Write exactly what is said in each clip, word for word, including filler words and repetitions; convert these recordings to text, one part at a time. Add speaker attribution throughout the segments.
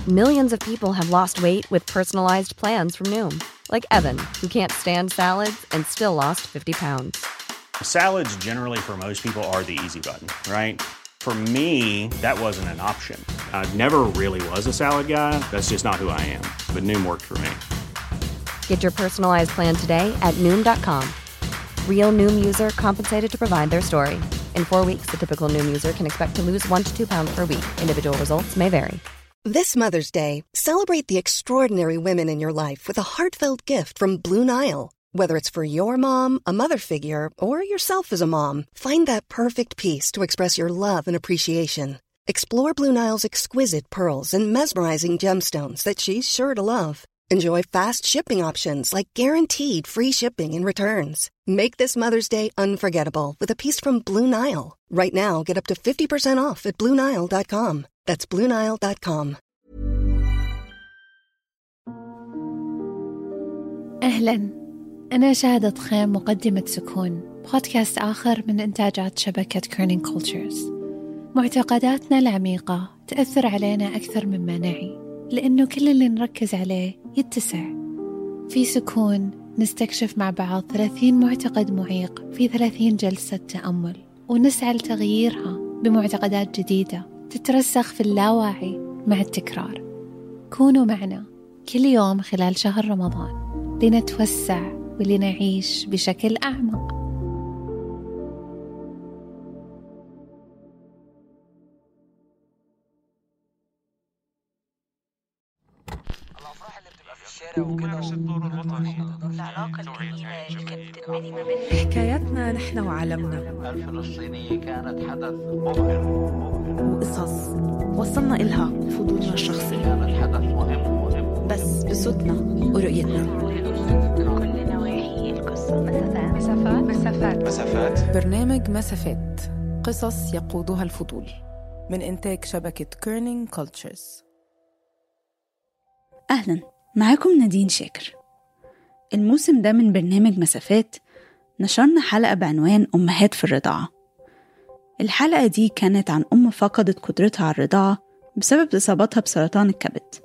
Speaker 1: Millions of people have lost weight with personalized plans from Noom. Like Evan, who can't stand salads and still lost fifty pounds.
Speaker 2: Salads generally for most people are the easy button, right? For me, that wasn't an option. I never really was a salad guy. That's just not who I am. But Noom worked for me.
Speaker 1: Get your personalized plan today at Noom dot com. Real Noom user compensated to provide their story. In four weeks, the typical Noom user can expect to lose one to two pounds per week. Individual results may vary.
Speaker 3: This Mother's Day, celebrate the extraordinary women in your life with a heartfelt gift from Blue Nile. Whether it's for your mom, a mother figure, or yourself as a mom, find that perfect piece to express your love and appreciation. Explore Blue Nile's exquisite pearls and mesmerizing gemstones that she's sure to love. Enjoy fast shipping options like guaranteed free shipping and returns. Make this Mother's Day unforgettable with a piece from Blue Nile. Right now, get up to fifty percent off at blue nile dot com. That's blue nile dot com.
Speaker 4: أهلاً، أنا شاهدة خيم مقدمة سكون، بودكاست آخر من إنتاجات شبكة كيرنينج كولتشرز. معتقداتنا العميقة تأثر علينا أكثر مما نعي، لأنه كل اللي نركز عليه يتسع. في سكون نستكشف مع بعض ثلاثين معتقد معيق في ثلاثين جلسة تأمل، ونسعى لتغييرها بمعتقدات جديدة تترسخ في اللاواعي مع التكرار. كونوا معنا كل يوم خلال شهر رمضان لنتوسع ولنعيش بشكل أعمق.
Speaker 5: الأفراح اللي بتبقى في الشارع وكده الدور الوطني العلاقة الجميلة اللي كانت بتنبني ما بين
Speaker 6: حكاياتنا نحن وعالمنا.
Speaker 5: الفلسطينية كانت حدث مبهر
Speaker 6: وقصص وصلنا إلها بفضولنا الشخصي،
Speaker 5: كانت حدث مهم مهم
Speaker 6: بس بصوتنا ورؤيتنا.
Speaker 7: كل نواحي القصة. مسافات مسافات مسافات
Speaker 6: مسافات برنامج مسافات، قصص يقودها الفضول، من إنتاج شبكة كيرنينج كولتشرز.
Speaker 8: أهلاً، معاكم نادين شاكر. الموسم ده من برنامج مسافات نشرنا حلقة بعنوان أمهات في الرضاعة. الحلقة دي كانت عن أم فقدت قدرتها على الرضاعة بسبب إصابتها بسرطان الكبد،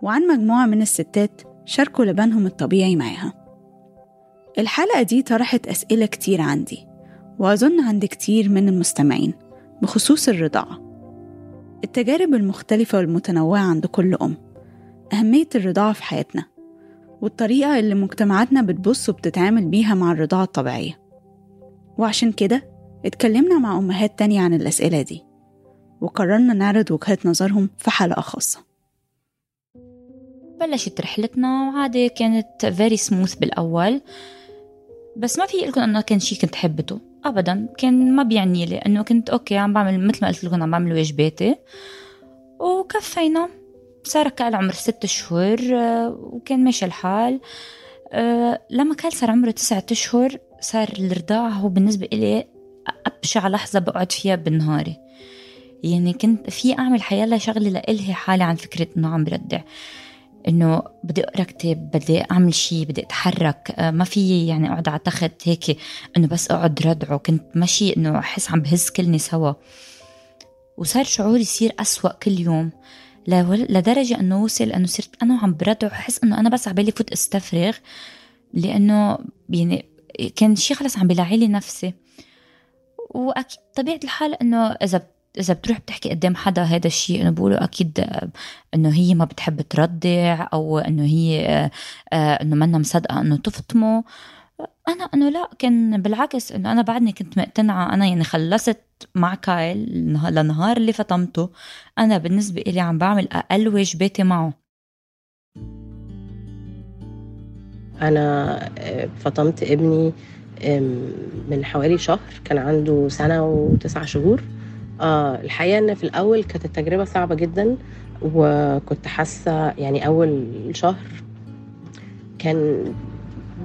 Speaker 8: وعن مجموعة من الستات شاركوا لبنهم الطبيعي معاها. الحلقة دي طرحت أسئلة كتير عندي، وأظن عند كتير من المستمعين، بخصوص الرضاعة، التجارب المختلفة والمتنوعة عند كل أم، أهمية الرضاعة في حياتنا، والطريقة اللي مجتمعاتنا بتبص وبتتعامل بيها مع الرضاعة الطبيعية. وعشان كده اتكلمنا مع أمهات تانية عن الأسئلة دي، وقررنا نعرض وجهات نظرهم في حلقة خاصة.
Speaker 9: بلشت رحلتنا وعادي، كانت very smooth بالأول، بس ما في لكم أنه كان شيء كنت حبته أبدا. كان ما بيعني لي أنه كنت أوكي عم بعمل مثل ما قلت لكم، عم بعمل واجباتي وكفينا. صار كان عمر ست شهور وكان ماشي الحال. لما كان صار عمره تسعة أشهر صار الرضاعة هو بالنسبة إلي أبشع لحظة بقعد فيها بالنهاري. يعني كنت في أعمل حيالله شغلي لإلهي حالي عن فكرة إنه عم بردع، إنه بدي أقرأ كتاب، بدي أعمل شيء، بدي أتحرك. ما في يعني أقعد على تخت هيك إنه بس أقعد ردعه. كنت ماشي إنه أحس عم بهز كلني سوا، وصار شعوري يصير أسوأ كل يوم، لدرجة أنه وصل أنه صرت أنا عم بردع وحس أنه أنا بس عبالي فوت استفرغ، لأنه يعني كان شيء خلص عم بلاعيلي نفسي. وأكيد طبيعة الحال أنه إذا إذا بتروح بتحكي قدام حدا هذا الشيء، أنه بقوله أكيد أنه هي ما بتحب تردع، أو أنه هي أنه منا مصدقة أنه تفطمه. أنا أنه لا، كان بالعكس، أنه أنا بعدني كنت مقتنعة. أنا يعني خلصت مع كايل لنهار اللي فطمته، أنا بالنسبة إلي عم بعمل أقل واجباتي معه.
Speaker 10: أنا فطمت ابني من حوالي شهر، كان عنده سنة وتسعة شهور. آه الحقيقة أن في الأول كانت التجربة صعبة جدا، وكنت حاسة يعني أول شهر كان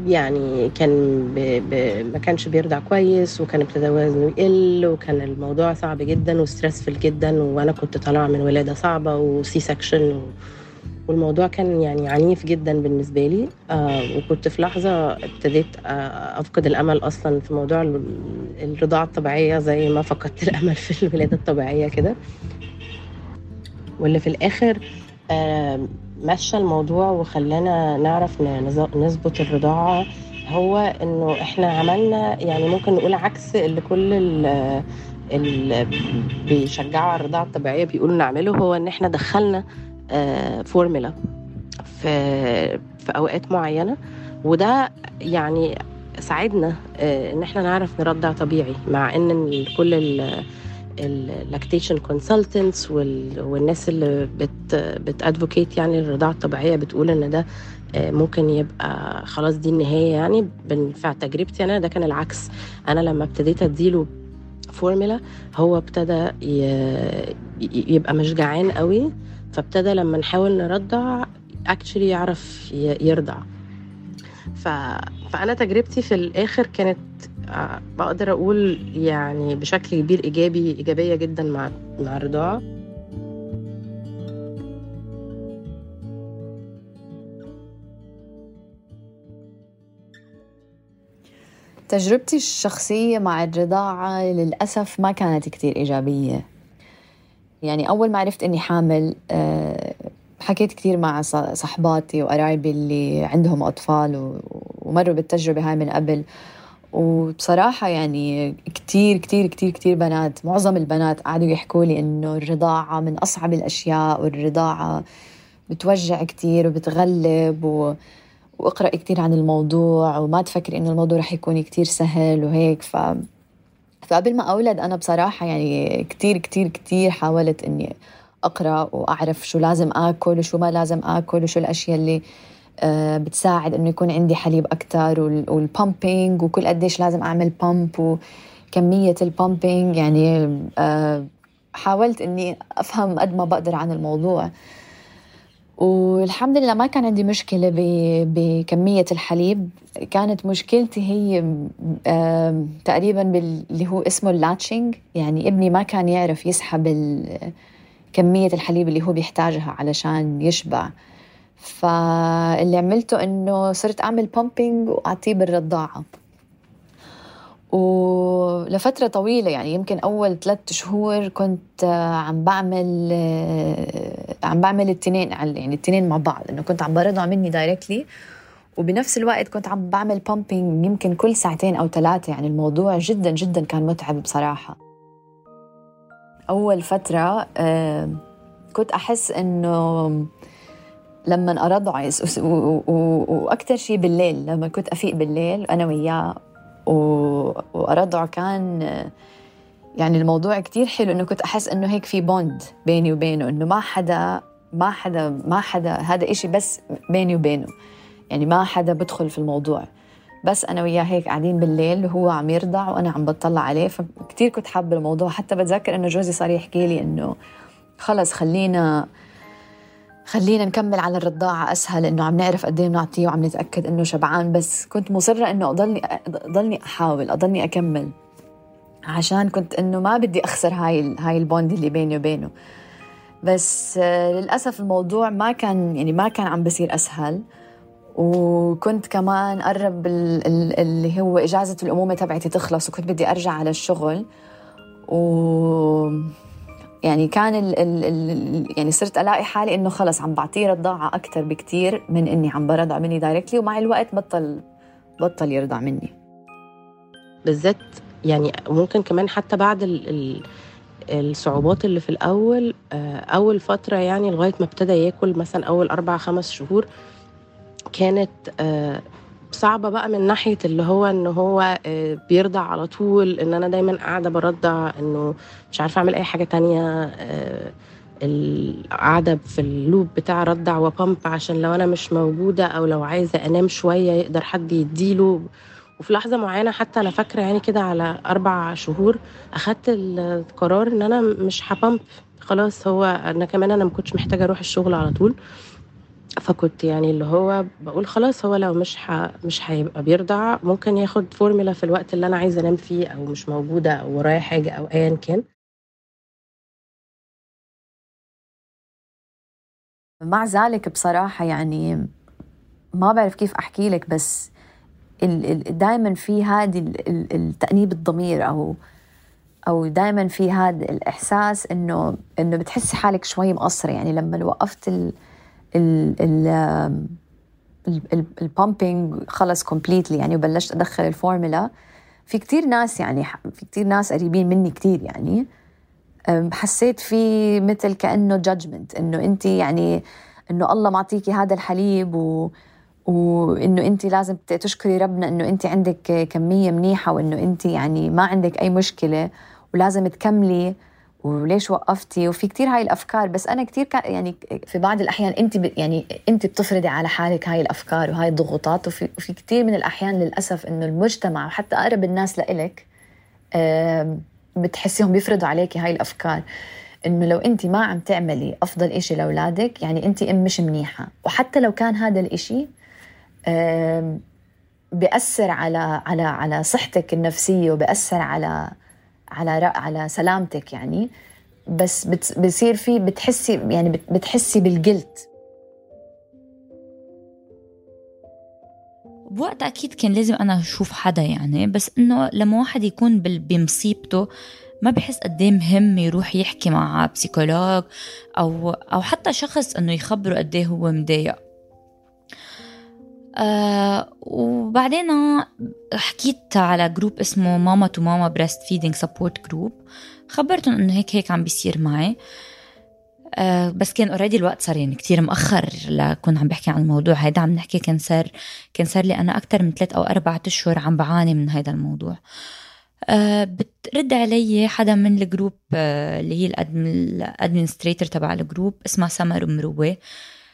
Speaker 10: يعني كان ب... ب... ما كانش بيرضع كويس، وكان ابتدى وزنه يقل، وكان الموضوع صعب جدا وستريسفل جدا، وانا كنت طالعه من ولاده صعبه وسي سكشن، و... والموضوع كان يعني عنيف جدا بالنسبه لي. آه وكنت في لحظه ابتديت آه افقد الامل اصلا في موضوع الرضاعه الطبيعيه، زي ما فقدت الامل في الولاده الطبيعيه كده. واللي في الآخر مشى الموضوع وخلانا نعرف نظبط الرضاعة هو إنه إحنا عملنا يعني ممكن نقول عكس اللي كل اللي بيشجعوا على الرضاعة الطبيعية بيقولوا نعمله، هو إن إحنا دخلنا فورمولا في في أوقات معينة، وده يعني ساعدنا إن إحنا نعرف نرضع طبيعي، مع إن كل ال اللاكتيشن كونسلتنتس والناس اللي بت بتادفوكيت يعني الرضاعه الطبيعيه بتقول ان ده ممكن يبقى خلاص دي النهايه. يعني في تجربتي انا ده كان العكس. انا لما ابتديت اديله فورمولا هو ابتدى يبقى مش جعان قوي، فابتدى لما نحاول نرضع اكشلي يعرف يرضع. ف... فانا تجربتي في الاخر كانت بقدر أقول يعني بشكل كبير إيجابي إيجابية جدا مع مع الرضاعة.
Speaker 11: تجربتي الشخصية مع الرضاعة للأسف ما كانت كتير إيجابية. يعني أول ما عرفت إني حامل حكيت كتير مع صحباتي وقرايبي اللي عندهم أطفال ومروا بالتجربة هاي من قبل، وبصراحة يعني كتير كتير كتير كتير بنات، معظم البنات قعدوا يحكوا لي إنه الرضاعة من أصعب الأشياء، والرضاعة بتوجع كتير وبتغلب، و... وأقرأ كتير عن الموضوع وما تفكر إنه الموضوع رح يكون كتير سهل وهيك. ف... فقبل ما أولد أنا بصراحة يعني كتير كتير كتير حاولت إني أقرأ وأعرف شو لازم آكل وشو ما لازم آكل وشو الأشياء اللي بتساعد إنه يكون عندي حليب أكتر، والبامبينج وكل قديش لازم أعمل بامب وكمية البامبينج. يعني حاولت إني أفهم قد ما بقدر عن الموضوع، والحمد لله ما كان عندي مشكلة بكمية الحليب. كانت مشكلتي هي تقريبا باللي هو اسمه اللاتشينج، يعني ابني ما كان يعرف يسحب كمية الحليب اللي هو بيحتاجها علشان يشبع. فاللي عملته إنه صرت أعمل بامبينج وأعطيه بالرضاعة، ولفترة طويلة يعني يمكن أول ثلاثة شهور كنت عم بعمل عم بعمل التنين يعني التنين مع بعض، إنه كنت عم برضع مني دايركتلي وبنفس الوقت كنت عم بعمل بامبينج يمكن كل ساعتين أو ثلاثة. يعني الموضوع جدا جدا كان متعب بصراحة. أول فترة كنت أحس إنه لما أرضع وأكتر شيء بالليل، لما كنت أفيق بالليل أنا وياه وأرضع كان يعني الموضوع كتير حلو، إنه كنت أحس إنه هيك في بوند بيني وبينه، إنه ما حدا ما حدا ما حدا هذا إشي بس بيني وبينه، يعني ما حدا بدخل في الموضوع، بس أنا وياه هيك قاعدين بالليل وهو عم يرضع وأنا عم بطلع عليه. فكتير كنت حابة الموضوع. حتى بتذكر إنه جوزي صار يحكي لي إنه خلص خلينا خلينا نكمل على الرضاعة أسهل، إنه عم نعرف قد إيه بنعطيه وعم نتأكد إنه شبعان. بس كنت مصرة إنه أضلني أضلني أحاول أضلني أكمل، عشان كنت إنه ما بدي أخسر هاي هاي البوند اللي بيني وبينه. بس للأسف الموضوع ما كان يعني ما كان عم بصير أسهل، وكنت كمان قرب اللي هو إجازة الأمومة تبعتي تخلص وكنت بدي أرجع على الشغل، و يعني كان ال ال ال يعني صرت ألاقي حالي إنه خلص عم بعطيه رضاعة أكتر بكتير من إني عم برضع مني دايركتلي، ومع الوقت بطل بطل يرضع مني
Speaker 10: بالذات. يعني ممكن كمان حتى بعد ال ال الصعوبات اللي في الأول، أول فترة يعني لغاية ما ابتدى ياكل مثلا أول أربع خمس شهور كانت صعبة بقى من ناحية اللي هو إنه هو بيرضع على طول، إن أنا دايما قاعدة برضع، إنه مش عارفة أعمل أي حاجة تانية، القاعدة في اللوب بتاع رضع وبامب عشان لو أنا مش موجودة أو لو عايزة أنام شوية يقدر حد يديله. وفي لحظة معينة حتى أنا فاكرة يعني كده على أربع شهور أخدت القرار إن أنا مش هبامب خلاص. هو أنا كمان أنا مكنتش محتاجة أروح الشغل على طول، فكنت يعني اللي هو بقول خلاص هو لو مش ح... مش هيبقى بيرضع ممكن ياخد فورمولا في الوقت اللي أنا عايزة أنام فيه أو مش موجودة أو ورايا حاجة أو أيا كان.
Speaker 11: مع ذلك بصراحة يعني ما بعرف كيف أحكي لك، بس ال... ال... دايما في هذه ال... التأنيب الضمير أو أو دايماً في هذا الإحساس إنه إنه بتحسي حالك شوي مقصرة. يعني لما وقفت ال ال ال البامبينج خلص كومبليتلي يعني وبلشت أدخل الفورمولا، في كتير ناس يعني في كتير ناس قريبين مني كتير يعني حسيت في مثل كأنه جادجمنت، إنه أنت يعني إنه الله معطيكي هذا الحليب و وإنه أنت لازم تشكري ربنا إنه أنت عندك كمية منيحة وإنه أنت يعني ما عندك أي مشكلة ولازم تكملي وليش وقفتي. وفي كتير هاي الأفكار. بس أنا كتير يعني في بعض الأحيان أنت ب يعني أنت بتفرضي على حالك هاي الأفكار وهاي الضغوطات. وفي, وفي كتير من الأحيان للأسف إنه المجتمع وحتى أقرب الناس لإلك بتحسيهم بيفرضوا عليكي هاي الأفكار، إنه لو أنت ما عم تعملي أفضل إشي لأولادك يعني أنت أم مش منيحة. وحتى لو كان هذا الإشي بيأثر على على على صحتك النفسية وبيأثر على على على سلامتك يعني، بس بتصير في بتحسي يعني بتحسي بالجلت.
Speaker 9: بوقت أكيد كان لازم أنا أشوف حدا يعني، بس إنه لما واحد يكون بمصيبته ما بحس قديه مهم يروح يحكي مع بسيكولوج أو أو حتى شخص إنه يخبره قديه هو مضايق. آه وبعدين حكيت على جروب اسمه ماما تو ماما بريست فيدينج سبورت جروب، خبرتهم انه هيك هيك عم بيصير معي. آه بس كان اوريدي الوقت صار يعني كتير مؤخر لكون عم بحكي عن الموضوع هيدا. عم نحكي كان صار كان صار لي انا اكتر من ثلاث او اربعة اشهر عم بعاني من هيدا الموضوع. آه بترد علي حدا من الجروب آه اللي هي الادمنستريتور تبع الجروب اسمها سمر مروه،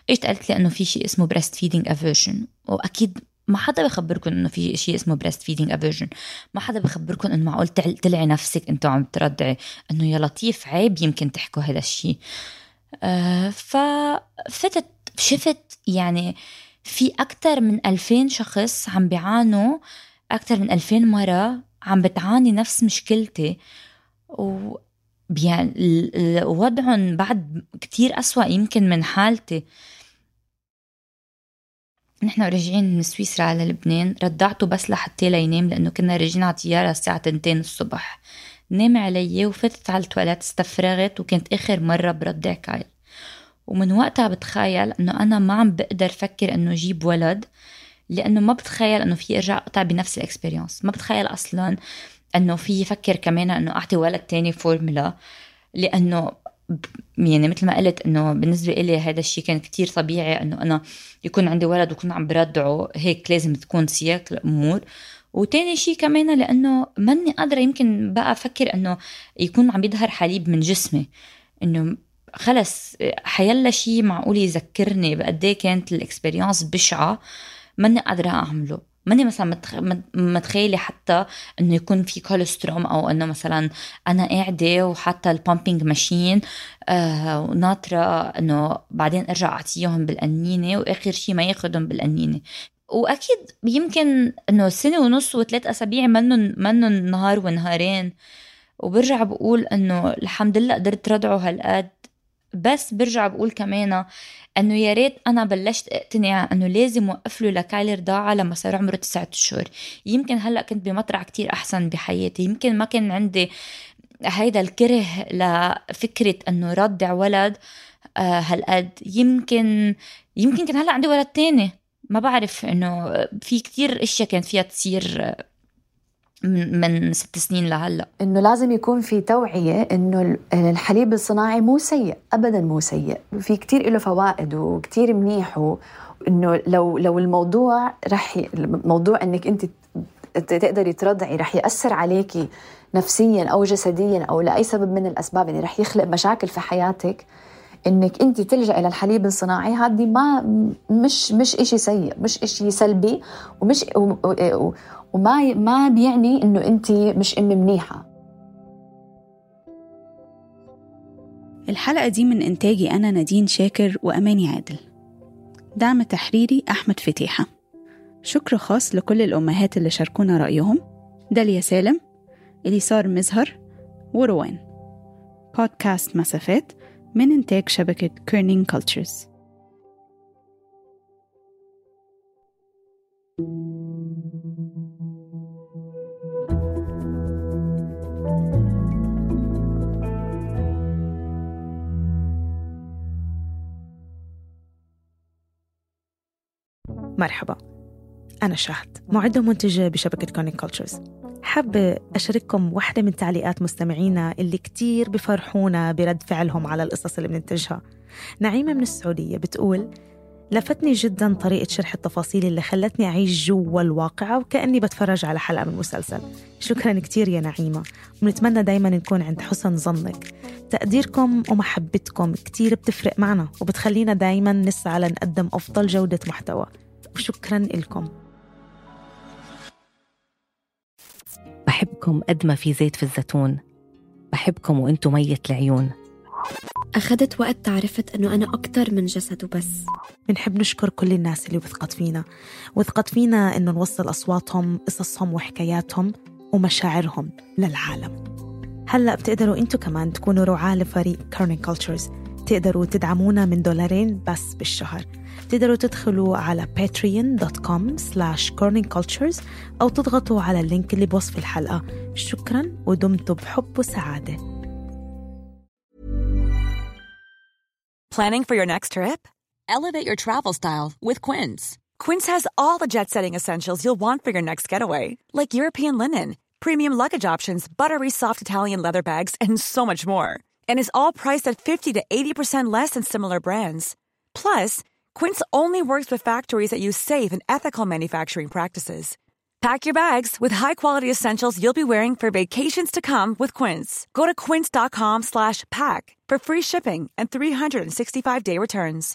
Speaker 9: ايش قالت لي انه في شيء اسمه breast feeding aversion. واكيد ما حدا بخبركم انه في شيء اسمه breast feeding aversion، ما حدا بخبركم انه معقول تلعي نفسك انتوا عم ترضعي، انه يا لطيف عيب يمكن تحكوا هذا الشيء. آه ففتت شفت يعني في اكتر من ألفين شخص عم بيعانوا، اكتر من ألفين مرة عم بتعاني نفس مشكلتي، و يعني وضعهم بعد كتير أسوأ يمكن من حالتي. نحن راجعين من سويسرا على لبنان، ردعته بس لحتى لينام لأنه كنا راجعين على طيارة الساعة تنتين الصبح. نام علي وفتت على التواليت استفرغت، وكانت آخر مرة بردع كايل. ومن وقتها بتخيل أنه أنا ما عم بقدر فكر أنه جيب ولد، لأنه ما بتخيل أنه في أرجع أقطع بنفس الإكسبرينس. ما بتخيل أصلاً أنه في يفكر كمان أنه أعطي ولد تاني فورمولا، لأنه يعني مثل ما قلت أنه بالنسبة إلي هذا الشيء كان كتير طبيعي أنه أنا يكون عندي ولد وكون عم بردعه، هيك لازم تكون سياق الأمور. وتاني شيء كمان لأنه ماني قادرة يمكن بقى أفكر أنه يكون عم يظهر حليب من جسمي، أنه خلص حيلا شيء معقول يذكرني بقديه كانت الإكسبرينس بشعة، ماني قادرة أعمله. ماني مثلا متخيلة حتى انه يكون في كولستروم، او انه مثلا انا قاعدة وحتى البامبينج ماشين آه وناطرة انه بعدين ارجع اعطيهم بالقنينة واخر شيء ما ياخدهم بالقنينة. واكيد يمكن انه سنة ونص وثلاث اسابيع منن منن نهار ونهارين، وبرجع بقول انه الحمد لله قدرت ردعه هالقد. بس برجع بقول كمان انه يا ريت انا بلشت اقتنع انه لازم وقف له لكايل رضاعه لما صار عمره تسعة اشهر. يمكن هلا كنت بمطرح كتير احسن بحياتي، يمكن ما كان عندي هيدا الكره لفكره انه رضع ولد آه هالقد. يمكن يمكن كان هلا عندي ولد تاني، ما بعرف. انه في كتير اشياء كانت فيها تصير من ست سنين لهلا.
Speaker 11: إنه لازم يكون في توعية إنه الحليب الصناعي مو سيء أبداً، مو سيء، في كتير له فوائد وكتير منيح. وإنه لو لو الموضوع رح ي... الموضوع إنك أنت تقدري ترضعي رح يأثر عليكي نفسياً أو جسدياً أو لأي سبب من الأسباب، يعني رح يخلق مشاكل في حياتك، إنك أنت تلجأ إلى الحليب الصناعي هذه ما مش مش إشي سيء، مش إشي سلبي، ومش و... و... وما ما بيعني إنه أنت مش أم منيحة.
Speaker 8: الحلقة دي من إنتاجي أنا نادين شاكر وأماني عادل، دعم تحريري أحمد فتيحة. شكر خاص لكل الأمهات اللي شاركونا رأيهم: داليا سالم، إليسار مزهر، وروان. بودكاست مسافات من إنتاج شبكة كيرنينج كولتشرز.
Speaker 12: مرحبا، أنا شهد، معدة ومنتجة بشبكة كورنينج كولتشرز. حابة أشارككم واحدة من تعليقات مستمعينا اللي كتير بفرحونا برد فعلهم على القصص اللي بننتجها. نعيمة من السعودية بتقول: لفتني جداً طريقة شرح التفاصيل اللي خلتني أعيش جوا الواقعة وكأني بتفرج على حلقة من مسلسل. شكراً كتير يا نعيمة، ونتمنى دايماً نكون عند حسن ظنك. تقديركم ومحبتكم كتير بتفرق معنا وبتخلينا دايماً نسعى لنقدم أفضل جودة محتوى، وشكراً لكم.
Speaker 13: بحبكم قد ما في زيت في الزيتون، بحبكم وانتو مية العيون.
Speaker 14: أخذت وقت تعرفت أنه أنا أكتر من جسد وبس.
Speaker 12: بنحب نشكر كل الناس اللي وثقت فينا وثقت فينا إنه نوصل أصواتهم، قصصهم وحكاياتهم ومشاعرهم للعالم. هلأ بتقدروا أنتوا كمان تكونوا رعاة لفريق كورنينج كولتشرز. تقدروا تدعمونا من دولارين بس بالشهر. تقدروا تدخلوا على patreon dot com slash corning cultures أو تضغطوا على اللينك اللي بوصف الحلقة. شكراً ودمتوا بحب وسعادة.
Speaker 15: Planning for your next trip? Elevate your travel style with Quince. Quince has all the jet-setting essentials you'll want for your next getaway, like European linen, premium luggage options, buttery soft Italian leather bags, and so much more. And is all priced at fifty to eighty percent less than similar brands. Plus, Quince only works with factories that use safe and ethical manufacturing practices. Pack your bags with high-quality essentials you'll be wearing for vacations to come with Quince. Go to quince dot com slash pack for free shipping and three hundred sixty-five day returns.